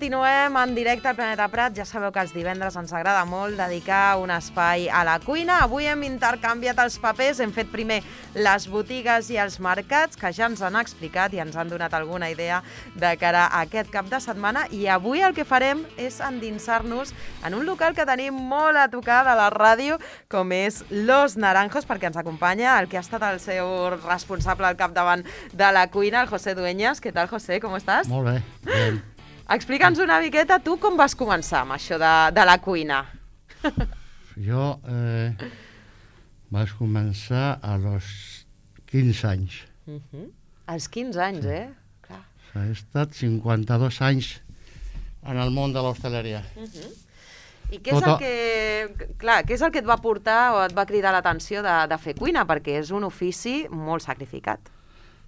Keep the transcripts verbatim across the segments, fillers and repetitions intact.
continuem en directe al Planeta Prat. Ja sabeu que els divendres ens agrada molt dedicar un espai a la cuina. Avui hem intercanviat els papers, hem fet primer les botigues i els mercats, que ja ens han explicat i ens han donat alguna idea de cara a aquest cap de setmana. I avui el que farem és endinsar-nos en un local que tenim molt a tocar de la ràdio, com és Los Naranjos, perquè ens acompanya el que ha estat el seu responsable al capdavant de la cuina, el José Dueñas. Què tal, José? Com estàs? Molt bé, bé. Explica'ns una miqueta, tu com vas començar amb això de, de la cuina? Jo eh, vaig començar a los quinze anys. Uh-huh. Als quinze anys, sí. eh? Clar. He estat cinquanta-dos anys en el món de l'hostaleria. Uh-huh. I què és, el que, clar, què és el que et va portar o et va cridar l'atenció de, de fer cuina? Perquè és un ofici molt sacrificat.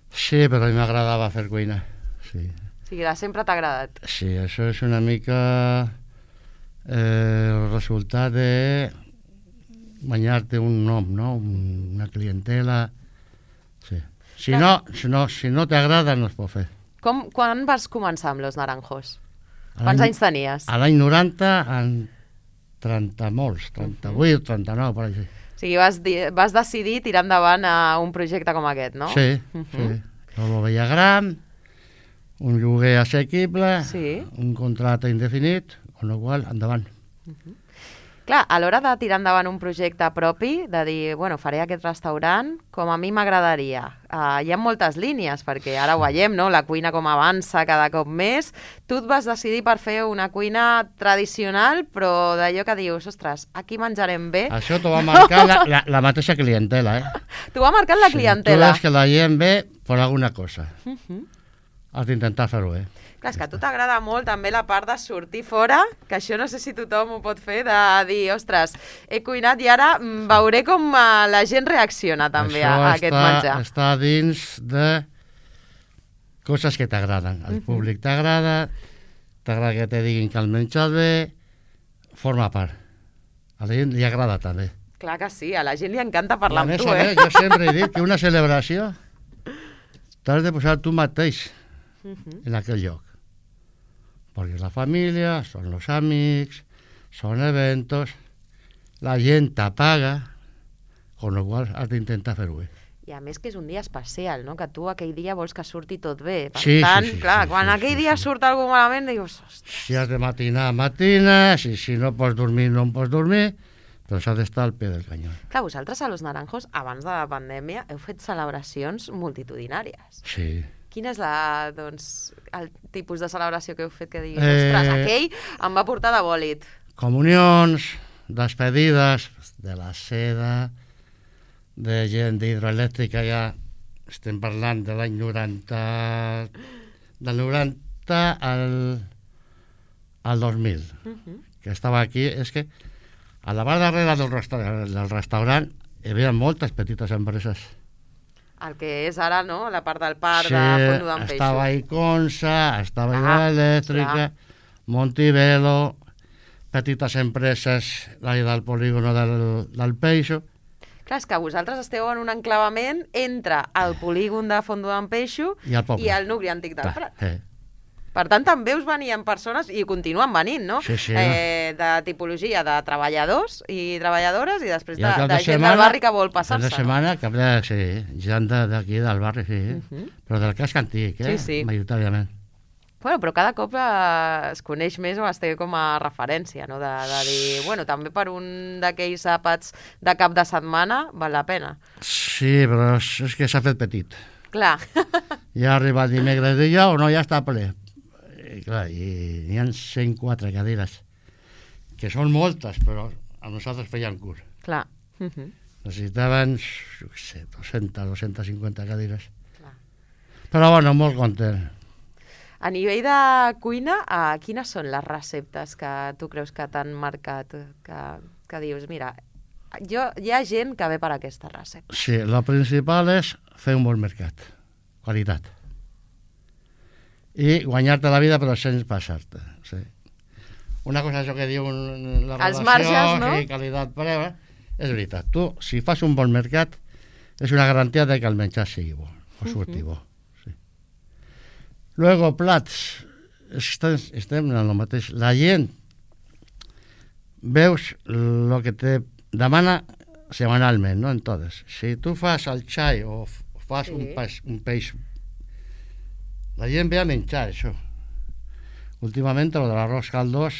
Sí, però a mi m'agradava fer cuina, sí. O sigui, de sempre t'ha agradat. Sí, això és una mica eh, el resultat de guanyar-te un nom, no? Una clientela. Sí. Si no, si no, si no t'agrada, no es pot fer. Com, quan vas començar amb Los Naranjos? Quants anys tenies? A l'any noranta, en trenta molts, trenta-vuit, trenta-nou, per així. O sigui, vas, vas decidir tirar endavant a un projecte com aquest, no? Sí, uh-huh. sí. Jo ho veia gran, un lloguer assequible, sí. un contracte indefinit, amb la qual endavant. Uh-huh. Clar, a l'hora de tirar endavant un projecte propi, de dir, bueno, faré aquest restaurant com a mi m'agradaria. Uh, hi ha moltes línies, perquè ara ho veiem, no? La cuina com avança cada cop més. Tu et vas decidir per fer una cuina tradicional, però d'allò que dius, ostres, aquí menjarem bé. Això t'ho va marcar la, la, la mateixa clientela, eh? T'ho va marcar la sí, clientela. Tu veus que la gent ve per alguna cosa. Uh-huh. Has d'intentar fer-ho bé. Clar, és que a tu t'agrada molt també la part de sortir fora, que això no sé si tothom ho pot fer, de dir, ostres, he cuinat i ara veuré com la gent reacciona també això a, a aquest està, menjar. Està dins de coses que t'agraden. El uh-huh. públic t'agrada, t'agrada que te diguin que el menjar bé, forma part. A la gent li agrada també. Clar que sí, a la gent li encanta parlar amb tu, eh? eh? Jo sempre he dit que una celebració t'has de posar tu mateix uh-huh. en aquell lloc. Perquè és la família, són els amics, són eventos, la gent t'apaga, con lo qual has d'intentar fer-ho bé. I a més que és un dia especial, no? Que tu aquell dia vols que surti tot bé. Per sí, tant, sí, sí, clar, sí, quan sí, aquell sí, dia sí. surt alguna cosa malament, dius, ostres. Si has de matinar, matines, i si no pots dormir, no pots dormir, però s'ha d'estar al peu del canyó. Clar, vosaltres a Los Naranjos, abans de la pandèmia, heu fet celebracions multitudinàries. Sí. Quin és la, doncs, el tipus de celebració que heu fet que diguis, eh... ostres, aquell em va portar de bòlit? Comunions, despedides de la seda, de gent d'hidroelèctrica, ja estem parlant de l'any noranta, del noranta al, al dos mil, uh-huh. que estava aquí. És que a la part darrere del, restaurant, del restaurant hi havia moltes petites empreses. El que és ara, no?, la part del parc sí, de Fondo d'en Peixo. Estava Iconsa, estava ah, Hidroelèctrica, Montibelo, petites empreses d'allà del polígono del, del Peixo. Clar, és que vosaltres esteu en un enclavament entre el polígon de Fondo d'en Peixo i el, i el nucli antic del Prat. Eh. Per tant, també us venien persones, i continuen venint, no? Sí, sí. Eh, de tipologia de treballadors i treballadores i després de, de, de gent setmana, del barri que vol passar-se. De setmana, cap de, sí, gent d'aquí del barri, sí. Uh-huh. Però del casc antic, eh? Sí, sí. Majoritàriament. Bueno, però cada cop eh, es coneix més o es té com a referència, no? De, de dir, bueno, també per un d'aquells àpats de cap de setmana val la pena. Sí, però és, és que s'ha fet petit. Clar. Ja ha arribat dimecres i dijous, no, ja està ple. I, clar, i hi ha cent quatre cadires, que són moltes, però a nosaltres feien curt. Clar. Uh-huh. Necessitaven, jo què sé, dues-centes, dues-centes cinquanta cadires. Clar. Però, bueno, molt content. A nivell de cuina, eh, quines són les receptes que tu creus que t'han marcat? Que, que dius, mira, jo, hi ha gent que ve per aquesta recepta. Sí, la principal és fer un bon mercat, qualitat. I guanyar-te la vida però sense passar-te. Sí. Una cosa això que diu la Els relació marges, no? i qualitat-preu, és veritat. Tu, si fas un bon mercat, és una garantia de que el menjar sigui bo, o surti uh-huh. bo. Sí. Luego, plats estem, estem en el mateix. La gent veus el que te demana semanalment, no en totes. Si tu fas el xai o fas sí. un, peix, un peix, la gent ve a menjar això. Últimament lo de l'arròs caldós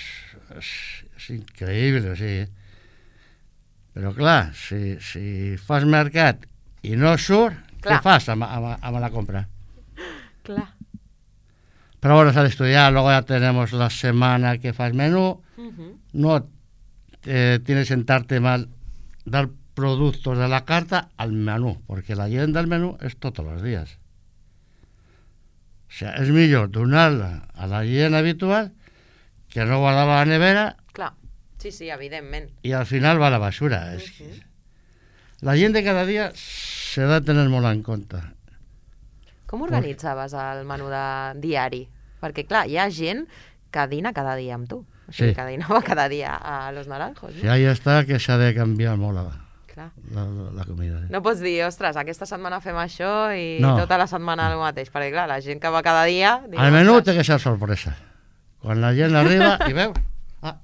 és, és increïble, o sigui. Però clar, si, si fas mercat i no surt, clar. Què fas amb, amb, amb la compra? Clar. Pero bueno, se ha de estudiar, luego ya tenemos la semana que fas menú, uh-huh. no eh, tienes que sentarte mal, dar productos de la carta al menú, porque la gent del menú es todos los días. O sea, és millor donar-la a la gent habitual que no guardar-la a la nevera. Clar, sí, sí, evidentment. I al final va a la basura. Uh-huh. És que la gent de cada dia s'ha de tenir molt en compte. Com organitzaves el menú de diari? Perquè, clar, hi ha gent que dina cada dia amb tu. O sigui, sí. que dinava cada dia a Los Naranjos. No? Sí, ahí està que s'ha de canviar molt la, la, la, la comida. Sí. No pots dir, ostres, aquesta setmana fem això i no. tota la setmana el mateix. Perquè, clar, la gent que va cada dia... Diu, el menú té que ser sorpresa. Quan la gent arriba i veu... Ah,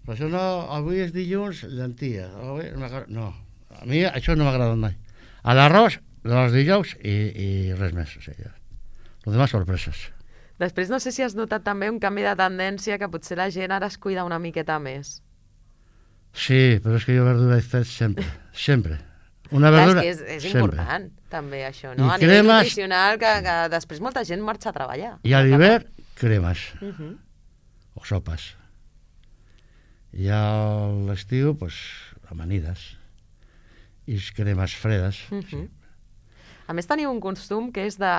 però això no... Avui és dilluns, llentia. Avui, no, a mi això no m'ha agradat mai. A l'arròs, els dijous i, i res més. O sigui, les demás sorpreses. Després no sé si has notat també un canvi de tendència que potser la gent ara es cuida una miqueta més. Sí, però és que jo verdura he fet sempre, sempre. Una verdura, és, és important també això, no? I a nivell cremes, nutricional, que, que després molta gent marxa a treballar. I a l'hivern, cremes. Uh-huh. O sopes. I a l'estiu, pues, amanides. I cremes fredes. Uh-huh. Sí. A més, teniu un costum que és de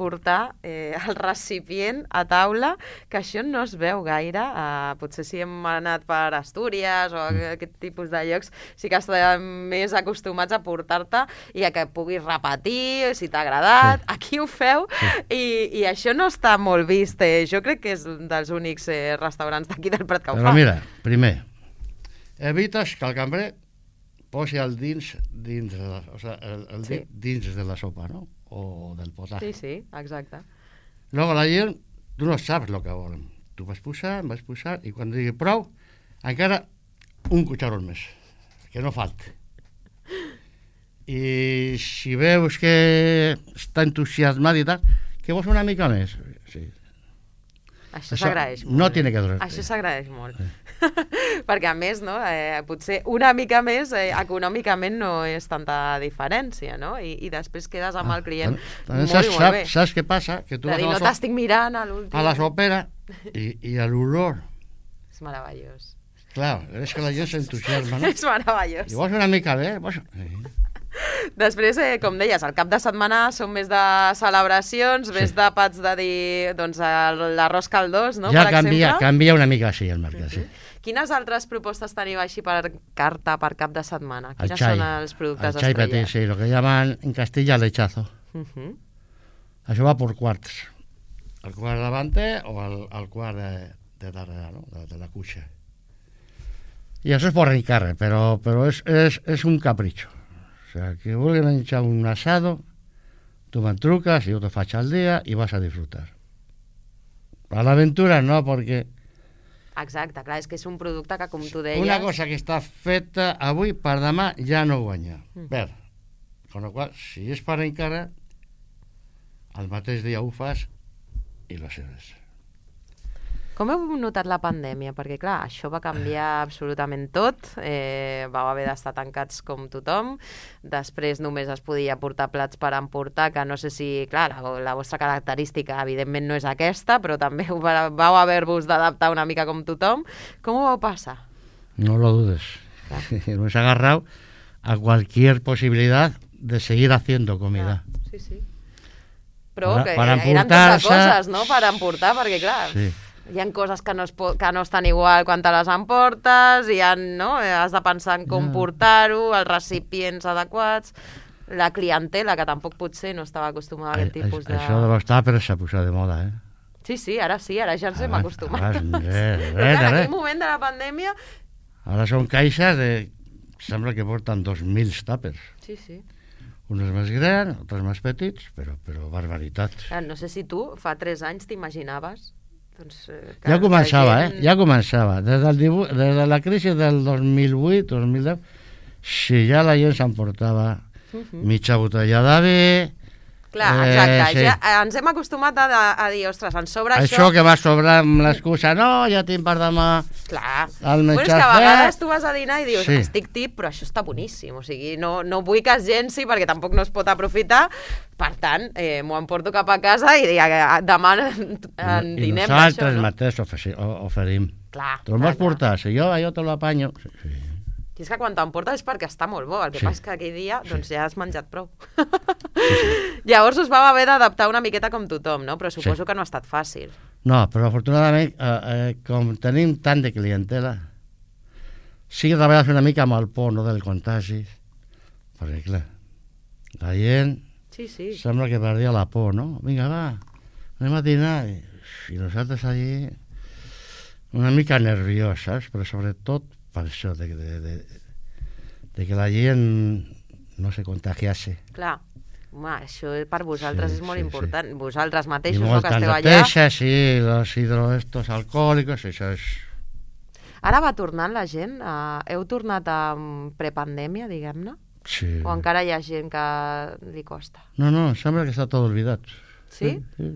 portar eh, el recipient a taula, que això no es veu gaire. Eh, potser si hem anat per Astúries o mm. aquest tipus de llocs, sí que estem més acostumats a portar-te i a que puguis repetir, si t'ha agradat. Sí. Aquí ho feu sí. i, i això no està molt vist. Eh. Jo crec que és un dels únics eh, restaurants d'aquí del Prat que ho Però fa. Però mira, primer, evites que el cambrer posi el dins dins de la, o sea, el, el sí. dins de la sopa, ¿no? O del potaje. Sí, sí, exacte. Luego la gent, tu no saps el que volen. Tu vas posar, vas posar, i quan digui prou, encara un cucharón més, que no falti. I si veus que està entusiasmat i tal, que vols una mica més. Sí. Això s'agraeix molt. No tiene que durar. Això s'agraeix molt. Sí. Perquè, a més, no, eh, potser una mica més, eh, econòmicament no és tanta diferència, no? I, i després quedes amb el client ah, molt saps, i molt bé. Saps què passa? Que tu de dir, no so t'estic mirant a l'últim. A la sopera i, i a l'olor. És meravellós. Clar, és que la gent s'entusiasma, no? És meravellós. I vols una mica bé? Vols... Després, eh, com deies, el cap de setmana són més de celebracions, sí. més d'àpats de dir, doncs, l'arròs caldós, no? Ja per canvia, exemple. canvia una mica així el mercat, uh-huh. sí. Quines altres propostes teniu així per carta, per cap de setmana? Quines el xai, són els productes el xai estrella? petit, sí, lo que llaman en Castilla lechazo. Uh-huh. Això va por quarts. El quart davante o el, el quart de, de darrere, no? De, de la cuixa. I això és por encarre, però, però és, és, és un capricho. O sea, que vulguen menjar un asado, tu me'n truques, jo te faig al dia i vas a disfrutar. A l'aventura no, perquè... Exacte, clar, és que és un producte que, com tu deies... Una cosa que està feta avui, per demà ja no guanya. Mm. Per. Con lo qual, si és per encara, el mateix dia ho fas i lo seràs. Com heu notat la pandèmia? Perquè, clar, això va canviar absolutament tot. Eh, vau haver d'estar tancats com tothom. Després només es podia portar plats per emportar, que no sé si, clar, la, la vostra característica, evidentment, no és aquesta, però també vau haver-vos d'adaptar una mica com tothom. Com ho vau passar? No lo dudes. Nos ha agarrado a cualquier posibilidad de seguir haciendo comida. Ah, sí, sí. Però para, que para eren tantes coses, no?, per emportar, perquè, clar... Sí. Hi ha coses que no, es po que no estan igual quan te les emportes, hi ha, no? Has de pensar en com no. portar-ho, els recipients adequats, la clientela, que tampoc potser no estava acostumada a aquest tipus de... Això de los tàpers s'ha posat de moda, eh? Sí, sí, ara sí, ara ja ens hem acostumat. Ara, res, res, en aquell moment de la pandèmia... Ara són caixes de... Sembla que porten dos mil tàpers. Sí, sí. Uns més grans, altres més petits, però, però barbaritat. No sé si tu fa tres anys t'imaginaves. Doncs, eh, ja començava, gent... eh? Ja començava. Des, del divuit, des de la crisi del dos mil vuit, dos mil deu, si ja la gent s'emportava uh -huh. mitja botella de vi... Clar, exacte. Eh, sí. Ja ens hem acostumat a, a dir, ostres, ens sobra això... Això que va sobrar amb l'excusa, no, ja tinc per demà... Clar. El però és que a vegades tu vas a dinar i dius, sí. estic tip, però això està boníssim. O sigui, no, no vull que es llenci perquè tampoc no es pot aprofitar. Per tant, eh, m'ho emporto cap a casa i demà en dinem d'això. I nosaltres no? mateix oferim. Clar. Te'l vols portar? Si jo, jo te l'apanyo... Sí, sí. I és que quan t'emportes és perquè està molt bo, el que sí. passa és que aquell dia doncs, sí. ja has menjat prou. Sí, sí. Llavors us vau haver d'adaptar una miqueta com tothom, no? Però suposo sí. que no ha estat fàcil. No, però afortunadament, eh, eh, com tenim tant de clientela, sí que treballes una mica amb el por, no, del contagi, perquè clar, la gent sí, sí. sembla que perdia la por, no? Vinga, va, anem a dinar. I, i nosaltres allí una mica nervioses, però sobretot per això, de, de, de, de que la gent no se contagiase. Clar, home, això per vosaltres sí, és molt sí, important. Sí. Vosaltres I mateixos, no, que moltes esteu allà... neteses, sí, los hidroestos alcohòlicos, això és... Ara va tornant la gent? Uh, heu tornat a prepandèmia, diguem-ne? Sí. O encara hi ha gent que li costa? No, no, sembla que està tot oblidat. Sí? Sí, sí.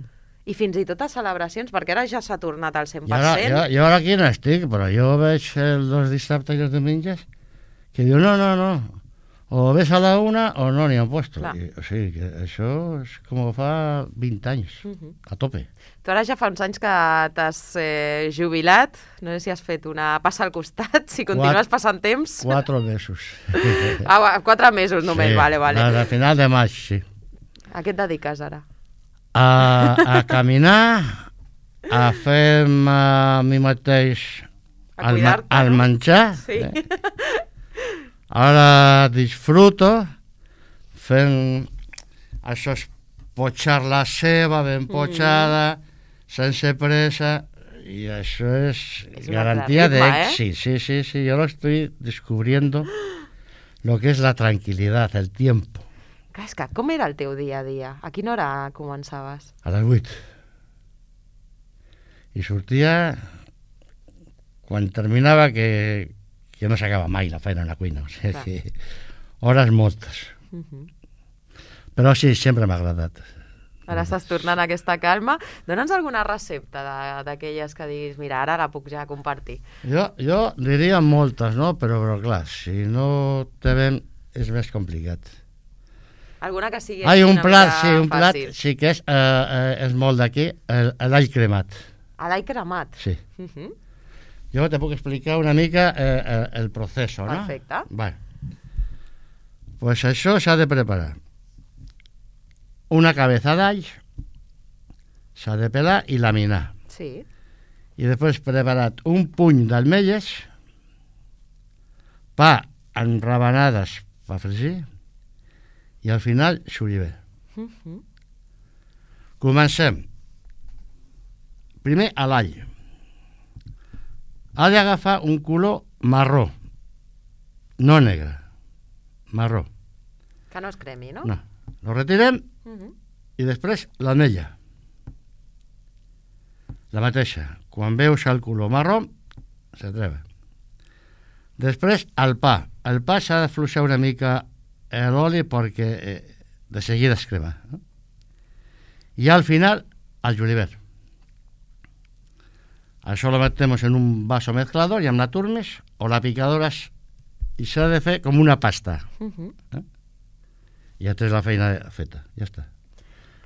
I fins i tot a celebracions, perquè ara ja s'ha tornat al cent per I ara, cent. jo, jo ara aquí no estic, però jo veig els dissabtes i els diumenges que diu, no, no, no, o ves a la una o no n'hi han puesto. I, o sigui, que això és com fa vint anys, uh -huh. a tope. Tu ara ja fa uns anys que t'has eh, jubilat, no sé si has fet una passa al costat, si continues passant temps. Quatre mesos. ah, quatre mesos només, sí, vale, vale. A final de maig, sí. A què et dediques ara? A, a caminar, a fer a mi mateix a el, ma el no? menjar. Sí. Eh? Ara disfruto fent això, és potxar la ceba ben potxada, mm. sense pressa, i això és, és garantia Eh? d'èxit. Sí, sí, sí, yo lo estoy descubriendo lo que es la tranquilidad, el tiempo. És que, com era el teu dia a dia? A quina hora començaves? A les vuit. I sortia quan terminava, que, que no s'acaba mai la feina en la cuina. O sigui, que hores moltes. Uh -huh. Però sí, sempre m'ha agradat. Ara estàs tornant a aquesta calma. Dóna'ns alguna recepta d'aquelles que diguis, mira, ara la puc ja compartir. Jo, jo diria moltes, no? Però, però clar, si no te ven és més complicat. Alguna que sigui Ai, un plat, sí, un fàcil. plat, sí que és, eh, eh, és molt d'aquí, l'all cremat. L'all cremat? Sí. Uh -huh. Jo te puc explicar una mica eh, el procés, no? Perfecte. Vale. Pues això s'ha de preparar. Una cabeza d'all, s'ha de pelar i laminar. Sí. I després preparat un puny d'ametlles, pa en rabanades per fregir, i al final xoliver. Uh -huh. Comencem. Primer a l'all. Ha d'agafar un color marró, no negre, marró. Que no es cremi, no? No. Lo retirem uh -huh. i després l'ametlla. La mateixa. Quan veus el color marró, se treva. Després el pa. El pa s'ha de fluixar una mica l'oli perquè eh, de seguida es crema, no? I al final el julivert. Això lo metemos en un vaso mezclador i amb la turmes o la picadora i s'ha de fer com una pasta. Uh -huh. eh? I ja tens la feina feta, ja està.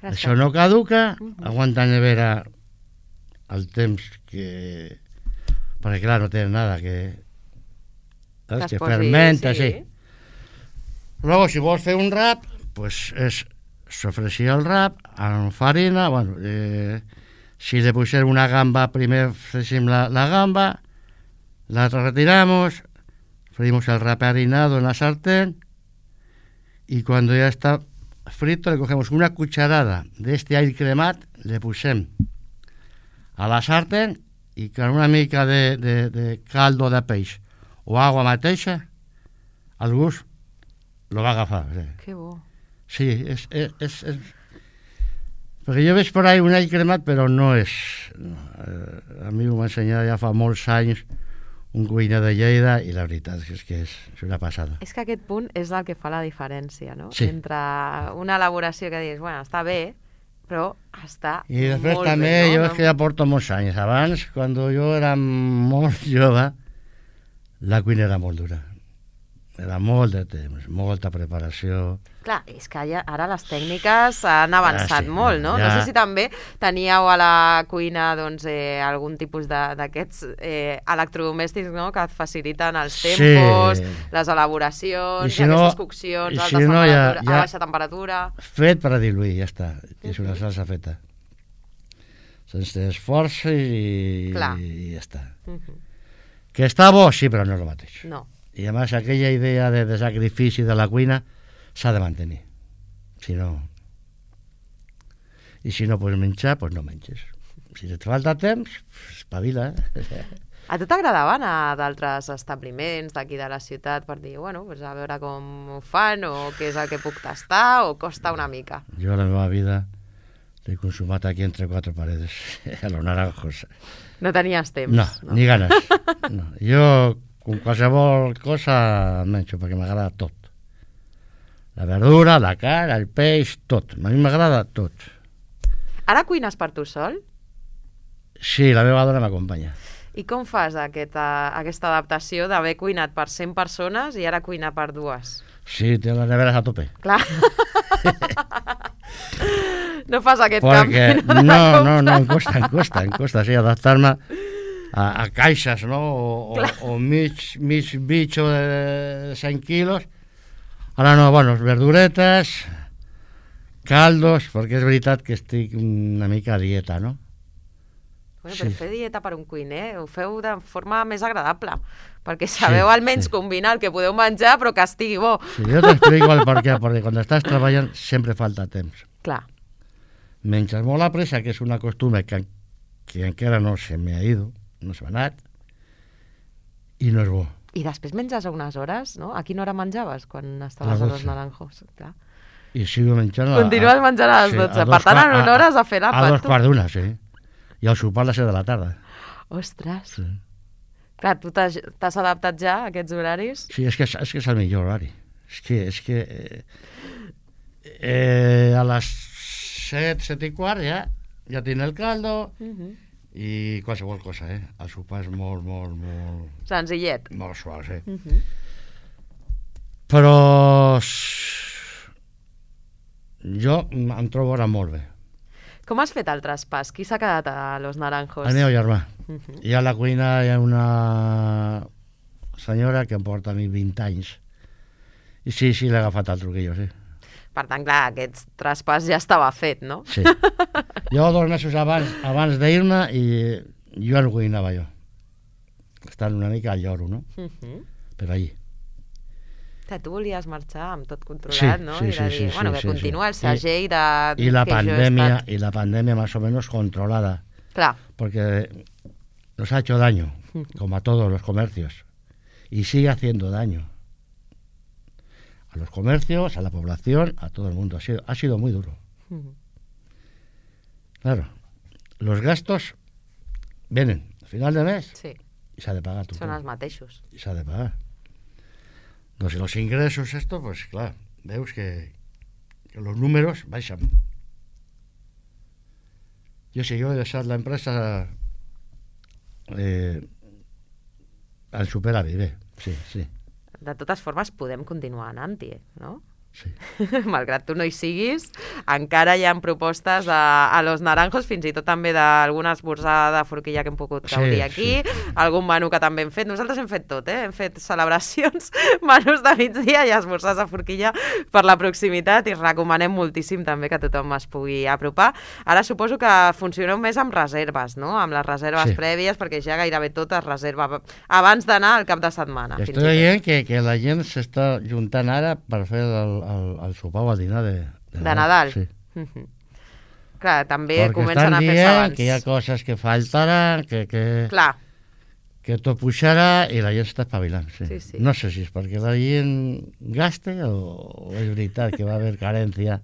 Gràcies. Això no caduca, uh -huh. aguanta nevera el temps que... perquè clar, no té nada que... Que, que fermenta, sí. sí. Luego, si vols fer un rap, pues és sofregir el rap amb farina, bueno, eh, si le pusieron una gamba, primer fregim la, la gamba, la retiramos, freímos el rap harinado en la sartén, y cuando ya está frito le cogemos una cucharada de este all cremat, le pusem a la sartén y con una mica de, de, de caldo de peix o agua mateixa, el gust lo va agafar. Sí. Que bo. Sí, és, és, és, és... Perquè jo veig per ahí un all cremat, però no és... No. Eh, a mi ho m'ha ensenyat ja fa molts anys un cuiner de Lleida i la veritat és que és, és una passada. És que aquest punt és el que fa la diferència, no? Sí. Entre una elaboració que dius, bueno, està bé, però està I després molt també, bé, no? jo és que ja porto molts anys. Abans, quan jo era molt jove, la cuina era molt dura. Era molt de temps, molta preparació. Clar, és que ja, ara les tècniques han avançat Ah, sí, molt, no? ja. No sé si també teníeu a la cuina doncs, eh, algun tipus de- d'aquests eh, electrodomèstics, no?, que et faciliten els Sí. tempos, les elaboracions, I si no- aquestes coccions, i alta si no, ja- temperatura, ja- a baixa temperatura... Fet per a diluir, ja està. És una salsa feta. Sense esforç i, Clar. i ja està. Mhm. Que està bo, sí, però no és el mateix. No. I a més, aquella idea de, de sacrifici de la cuina s'ha de mantenir. Si no... I si no pots menjar, doncs no menges. Si et falta temps, espavila. Eh? A tu t'agradava anar a d'altres establiments d'aquí de la ciutat per dir, bueno, pues a veure com ho fan o què és el que puc tastar o costa una mica? Jo la meva vida l'he consumat aquí entre quatre paredes, a los naranjos. No tenies temps. No, ni ganes. No. Jo, con qualsevol cosa, menjo, perquè m'agrada tot. La verdura, la carn, el peix, tot. A mi m'agrada tot. Ara cuines per tu sol? Sí, la meva dona m'acompanya. I com fas aquesta, aquesta adaptació d'haver cuinat per cent persones i ara cuinar per dues? Sí, té les neveres a tope. Clar. No fas aquest Perquè, canvi. no, no, no, em costa, em costa, em costa, sí, adaptar-me a, a caixes, no? O, o, o mig, mig bitxo de cent quilos. Ara no, bueno, verduretes, caldos, perquè és veritat que estic una mica a dieta, no? Bueno, però Sí. fer dieta per un cuiner ho feu de forma més agradable, perquè sabeu Sí, almenys sí. combinar el que podeu menjar però que estigui bo. Sí, jo t'explico el per què, perquè quan estàs treballant sempre falta temps. Clar. Menges molt a pressa, que és una costumbre que, que encara no se m'ha ido, no se m'ha anat, i no és bo. I després menges a unes hores, no? A quina hora menjaves quan A estaves les a los dotze. naranjos? Clar. I sigo menjant... a- Continues menjant a les sí, dotze. a dos Per tant, qua- en una hora has de fer A l'àpat, dos tu. quarts d'una, sí. I el sopar a les set de la tarda. Ostres. Sí, Clar, tu t'has t'has adaptat ja a aquests horaris? sí és, que, és que és el millor horari. És que... És que eh, eh, a les set, set i quart ja, ja tinc el caldo Uh -huh. i qualsevol cosa, eh? El sopar és molt, molt, molt... Senzillet. Molt suau, sí. Uh -huh. Però... s- jo em trobo ara molt bé. Com has fet el traspàs? Qui s'ha quedat a Los Naranjos? El meu germà. Uh -huh. I a la cuina hi ha una senyora que em porta a mi vint anys. I sí, sí, l'he agafat el truquillo, sí. Per tant, clar, aquest traspàs ja estava fet, no? Sí. Jo dos mesos abans, abans d'ir-me i jo ja no cuinava jo. Estant una mica al lloro, no? Uh -huh. Però allí. Que tu volies marxar amb tot controlat, Sí, no? sí, I de sí, dir, sí, bueno, sí, que sí, continua sí. el segell de... Y la que jo he pandemia, estat. y la pandemia más o menos controlada. Clar. Porque nos ha hecho daño, como a todos los comercios, y sigue haciendo daño a los comercios, a la población, a todo el mundo. Ha sido, ha sido muy duro. Uh -huh. Claro, los gastos vienen al final de mes Sí, y se ha de pagar. Tu són els mateixos. y se ha de pagar. Entonces, los ingresos, esto, pues claro, veus que, que los números baixan. Yo si yo he deixat la empresa eh, al superávit, bé, sí, sí, De totes formes, podem continuar anant-hi, no? sí. Malgrat tu no hi siguis, encara hi ha propostes a, a Los Naranjos, fins i tot també d'algun esmorzar de forquilla que hem pogut Sí, gaudir aquí, sí. algun menú que també hem fet. Nosaltres hem fet tot, eh? Hem fet celebracions, menús de migdia i esmorzars de forquilla per la proximitat i recomanem moltíssim també que tothom es pugui apropar. Ara suposo que funcioneu més amb reserves, no? Amb les reserves Sí. prèvies, perquè ja gairebé tot es reserva abans d'anar al cap de setmana. fins i Estoy tot. veient que, que la gent s'està juntant ara per fer el, el, el sopar o el dinar de, De Nadal. Sí. Mhm. Clar, també Perquè comencen estan a fer-se dient abans. que hi ha coses que faltaran, que... que... Clar, que tot pujarà i la gent està espavilant. Sí. Sí, sí. No sé si és perquè la gent gaste o, o és veritat que va haver carència.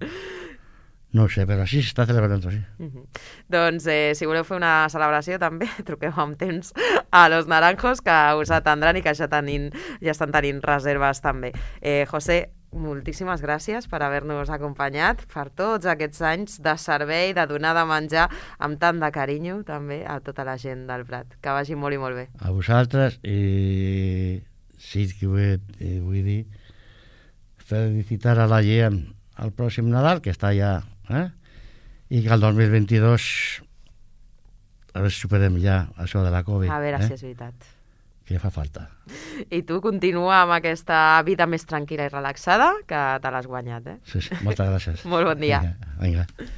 No ho sé, però sí s'està celebrant, sí. Uh -huh. Doncs eh, si voleu fer una celebració també, truqueu amb temps a Los Naranjos, que us atendran i que ja, tenin, ja estan tenint reserves també. Eh, José, moltíssimes gràcies per haver-nos acompanyat, per tots aquests anys de servei, de donar de menjar amb tant de carinyo també a tota la gent del Prat. Que vagi molt i molt bé. A vosaltres, i sí que vull, vull dir felicitar a la gent al pròxim Nadal, que està ja, eh? I que el dos mil vint-i-dos a veure si superem ja això de la Covid. A veure eh? si és veritat. Que fa falta. I tu continua amb aquesta vida més tranquil·la i relaxada, que te l'has guanyat, eh? Sí, sí, moltes gràcies. Molt bon dia. Vinga, vinga.